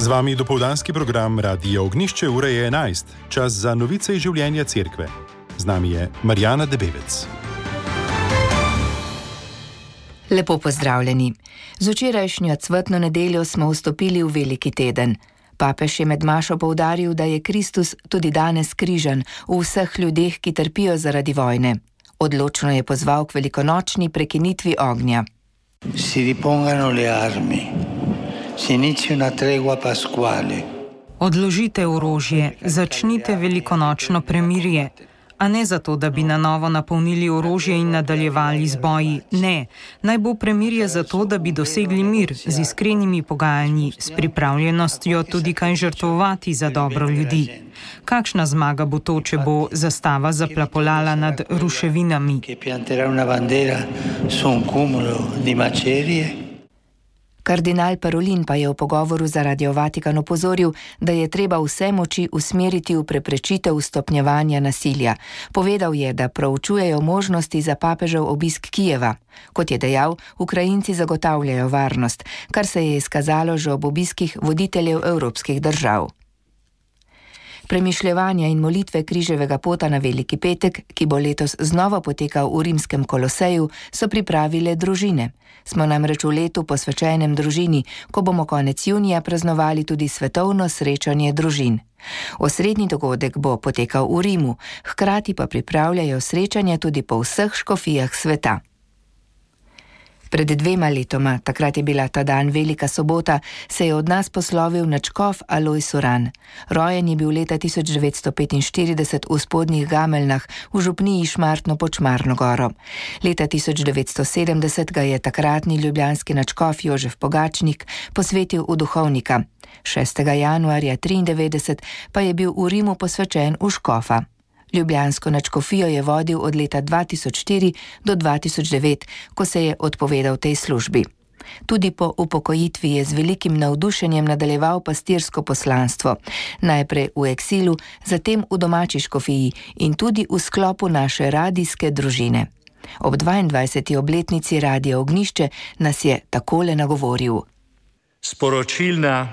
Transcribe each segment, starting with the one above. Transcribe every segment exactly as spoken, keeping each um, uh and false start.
Z vami dopoldanski program Radia Ognjišče, ura je enajst, čas za novice iz življenja cerkve. Z nami je Marjana Debevec. Lepo pozdravljeni. Z včerajšnjo cvetno nedeljo smo vstopili v veliki teden. Papež je med mašo poudaril, da je Kristus tudi danes križan v vseh ljudeh, ki trpijo zaradi vojne. Odločno je pozval k velikonočni prekinitvi ognja. Si ripongano le armi. Si inizi una tregua pasquale. Odložite orožje, začnite velikonočno premirje. A ne zato, da bi na novo napolnili orožje in nadaljevali z boji. Ne, naj bo premirje zato, da bi dosegli mir z iskrenimi pogajanji, s pripravljenostjo tudi kaj žrtvovati za dobro ljudi. Kakšna zmaga bo to, če bo zastava zaplapolala nad ruševinami? Kardinal Parolin pa je v pogovoru za Radio Vatikan opozoril, da je treba vse moči usmeriti v preprečitev stopnjevanja nasilja. Povedal je, da proučujejo možnosti za papežev obisk Kijeva. Kot je dejal, Ukrajinci zagotavljajo varnost, kar se je izkazalo že ob obiskih voditeljev evropskih držav. Premišljevanja in molitve križevega pota na Veliki petek, ki bo letos znova potekal v rimskem Koloseju, so pripravile družine. Smo namreč v letu posvečenem družini, ko bomo konec junija praznovali tudi svetovno srečanje družin. Osrednji dogodek bo potekal v Rimu, hkrati pa pripravljajo srečanja tudi po vseh škofijah sveta. Pred dvema letoma, takrat je bila ta dan Velika sobota, se je od nas poslovil nadškof Alojz Uran. Rojen je bil leta tisoč devetsto petinštirideset v Spodnjih Gameljnah v župniji Šmartno pod Šmarno goro. Leta tisoč devetsto sedemdeset ga je takratni ljubljanski nadškof Jožef Pogačnik posvetil v duhovnika. šestega januarja triindevetdeset pa je bil v Rimu posvečen v škofa. Ljubljansko nadškofijo je vodil od leta dva tisoč štiri do dva tisoč devet, ko se je odpovedal tej službi. Tudi po upokojitvi je z velikim navdušenjem nadaljeval pastirsko poslanstvo. Najprej v eksilu, zatem v domači škofiji in tudi v sklopu naše radijske družine. Ob dvaindvajseti obletnici Radia Ognjišče nas je takole nagovoril. Sporočilna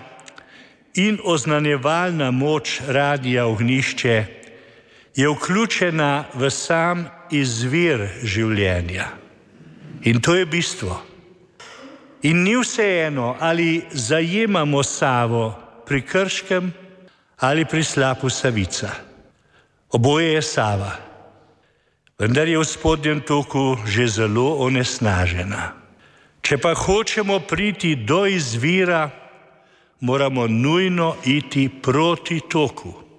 in oznanjevalna moč Radia Ognjišče je vključena v sam izvir življenja. In to je bistvo. In ni vseeno, ali zajemamo Savo pri Krškem ali pri slapu Savica. Oboje je Sava, vendar je v spodnjem toku že zelo onesnažena. Če pa hočemo priti do izvira, moramo nujno iti proti toku.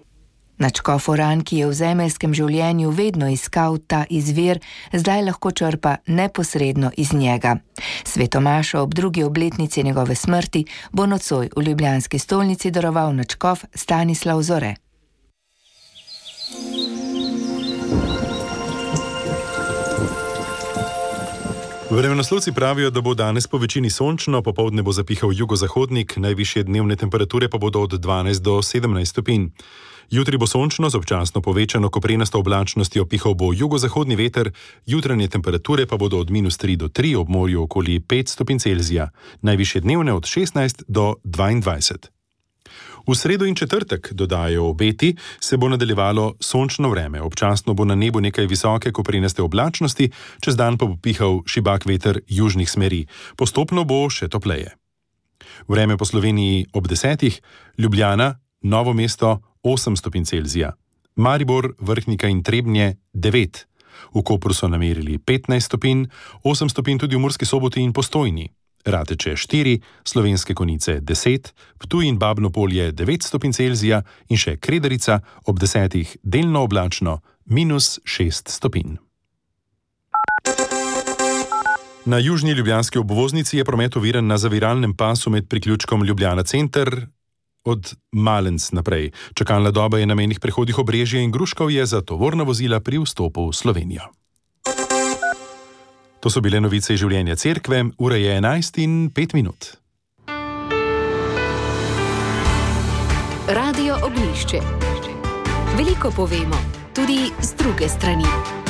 Nadškof Uran, ki je v zemeljskem življenju vedno iskal ta izvir, zdaj lahko črpa neposredno iz njega. Svetomašo ob drugi obletnici njegove smrti bo nocoj v ljubljanski stolnici daroval nadškof Stanislav Zore. Vremenoslovci pravijo, da bo danes po večini sončno, popoldne bo zapihal jugozahodnik, najvišje dnevne temperature pa bodo od dvanajst do sedemnajst stopinj. Jutri bo sončno z občasno povečano koprenasto oblačnostjo, pihal bo jugozahodni veter, jutranje temperature pa bodo od minus tri do tri, ob morju okoli pet stopinj Celzija, najvišje dnevne od šestnajst do dvaindvajset. V sredo in četrtek, dodajajo obeti, se bo nadaljevalo sončno vreme. Občasno bo na nebu nekaj visoke koprenaste oblačnosti, čez dan pa bo pihal šibak veter južnih smeri. Postopno bo še topleje. Vreme po Sloveniji ob desetih, Ljubljana, Novo mesto osem stopinj Celzija, Maribor, Vrhnika in Trebnje devet, v Kopru so namerili petnajst stopinj, osem stopinj tudi v Murski Soboti in Postojni, Rateče štiri, Slovenske Konjice deset, Ptuj in Babno Polje devet stopinj Celzija in še Kredarica ob desetih delno oblačno minus šest stopinj. Na južni ljubljanski obvoznici je promet oviran na zaviralnem pasu med priključkom Ljubljana center od Malenc naprej. Čakalna doba je na mejnih prehodih Obrežje in Gruškovje za tovorna vozila pri vstopu v Slovenijo. To so bile novice iz življenja cerkve, ura je enajst in pet minut. Radio Ognjišče. Veliko povemo, tudi z druge strani.